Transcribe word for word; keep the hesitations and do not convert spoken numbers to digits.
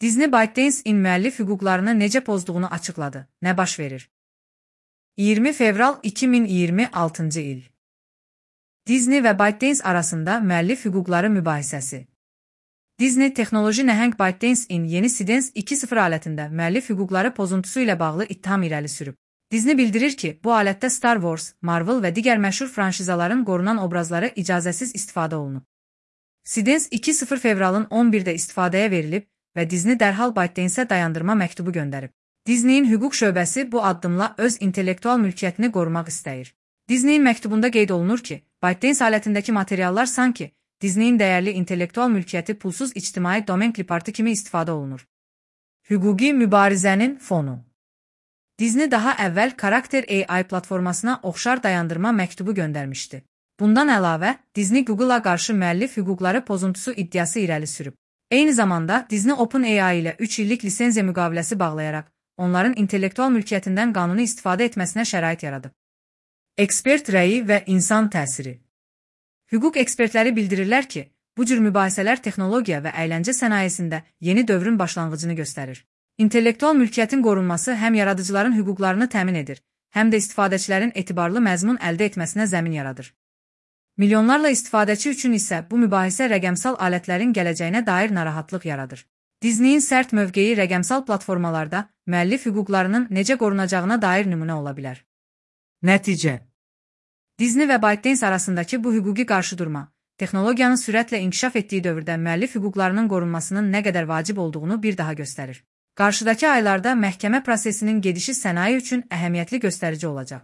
Disney ByteDance'in müəllif hüquqlarını necə pozduğunu açıqladı. Nə baş verir? iyirmi fevral iki min iyirmi altıncı il. Disney və ByteDance arasında müəllif hüquqları mübahisəsi. Disney texnoloji nəhəng ByteDance'in yeni Sidens iki nöqtə sıfır alətində müəllif hüquqları pozuntusu ilə bağlı ittiham irəli sürüb. Disney bildirir ki, bu alətdə Star Wars, Marvel və digər məşhur franşizaların qorunan obrazları icazəsiz istifadə olunub. Sidens iki nöqtə sıfır fevralın on birdə istifadəyə verilib və Disney dərhal ByteDance'ə dayandırma məktubu göndərib. Disney'in hüquq şöbəsi bu addımla öz intellektual mülkiyyətini qorumaq istəyir. Disney'in məktubunda qeyd olunur ki, ByteDance alətindəki materiallar sanki Disney'in dəyərli intellektual mülkiyyəti pulsuz ictimai domen klipartı kimi istifadə olunur. Hüquqi mübarizənin fonu. Disney daha əvvəl Character A I platformasına oxşar dayandırma məktubu göndərmişdi. Bundan əlavə, Disney Google-a qarşı müəllif hüquqları pozuntusu iddiası irəli sürüb. Eyni zamanda Disney OpenAI ilə üç illik lisenziya müqaviləsi bağlayaraq, onların intellektual mülkiyyətindən qanuni istifadə etməsinə şərait yaradıb. Ekspert rəyi və insan təsiri. Hüquq ekspertləri bildirirlər ki, bu cür mübahisələr texnologiya və əyləncə sənayesində yeni dövrün başlanğıcını göstərir. İntellektual mülkiyyətin qorunması həm yaradıcıların hüquqlarını təmin edir, həm də istifadəçilərin etibarlı məzmun əldə etməsinə zəmin yaradır. Milyonlarla istifadəçi üçün isə bu mübahisə rəqəmsal alətlərin gələcəyinə dair narahatlıq yaradır. Disney'in sərt mövqeyi rəqəmsal platformalarda müəllif hüquqlarının necə qorunacağına dair nümunə ola bilər. Nəticə. Disney və ByteDance arasındakı bu hüquqi qarşıdurma, texnologiyanın sürətlə inkişaf etdiyi dövrdə müəllif hüquqlarının qorunmasının nə qədər vacib olduğunu bir daha göstərir. Qarşıdakı aylarda məhkəmə prosesinin gedişi sənaye üçün əhəmiyyətli göstərici olacaq.